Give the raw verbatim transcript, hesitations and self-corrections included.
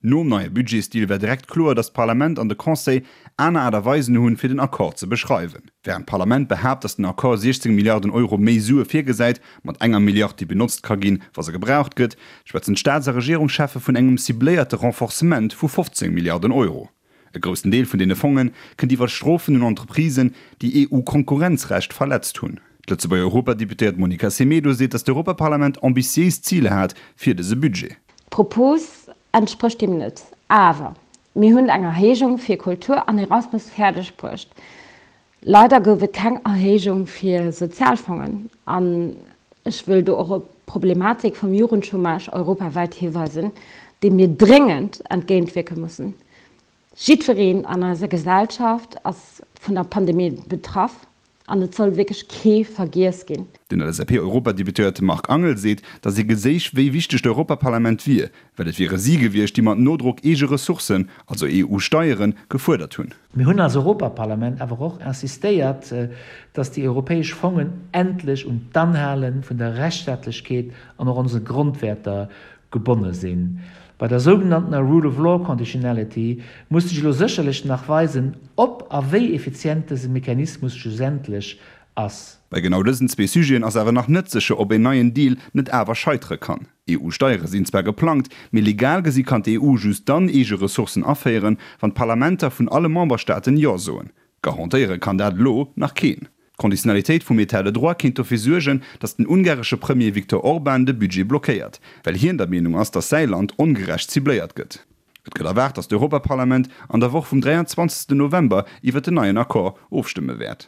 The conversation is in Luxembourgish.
Nom neie Budgetsdeal war direkt kloer, datt d'Parlament an de Conseil aner Aart a Weisen hunn, fir den Accord ze beschreiwen. Wärend d'Parlament behaapt, datt den Accord siechzéng Milliarden Euro méi Sue virgesäit, mat enger Milliard, déi benotzt ka ginn, wa se gebraucht gëtt, schwätzen d'Staats a Regierungscheffe vun engem cibléierte Renforcement vu fofzéng Milliarden Euro. E groussen Deel vun deene Fonge kënnt iwwer Strofen un Entreprisen, déi EU-Konkurrenzrecht verletzt hunn. D'Lëtzebuerger Europadeputéiert Monica Semedo seet, datt d'Europaparlament ambitiéis Ziler hat fir dëse Budget. D'Propos entsprécht deem net. Awer mir hunn eng Erhéijung fir Kultur an Erasmus fäerdeg bruecht. Leider gouf et keng Erhéijung fir Sozialfongen. An ech wëll do och op d'Problematik vum Jugendchômage europawäit hiweisen, deem mir dréngend entgéintwierke mussen. Jiddwereen an eiser Gesellschaft ass vun der Pandemie betraff an et soll wierklech kee vergiess ginn. Den L S A P-Europadeputéierte Marc Angel seet, datt ee geséich, wéi wichteg d'Europaparlament wier, well et wiere si gewiescht, déi mat Nodrock eege Ressourcen, also E U-Steieren, gefuerdert hunn. Mir hunn als Europaparlament awer och insistéiert, datt déi europäesch Fongen endlech un d'Anhale vun der Rechtsstaatlechkeet an och onse Grondwäerter gebonne sinn. Bei der sougenanntener Rule of Law Conditionality muss sech elo sécherlech nach weisen, ob a wéi effizient dëse Mechanismus schlussendlech ass. Bei genau dësen zwee Sujeten ass awer nach net sécher, ob een neien Deal net awer scheitere kann. E U-Steiere sinn zwar geplangt, mee legal gesi kann d'E U just dann eege Ressourcen aféieren, wann d'Parlamenter vun alle Memberstaaten Jo soen. Garantéiere kann dat elo nach keen. D'Konditionalitéit vum État de droit kéint dofir suergen, datt den ungaresche Premier Viktor Orban de Budget blockéiert, well hien der Meenung ass, datt säi Land ongerecht cibléiert gëtt. Et gëtt erwaart, datt d'Europaparlament an der Woch vum dräianzwanzegsten November iwwer den neien Accord ofstëmme wäert.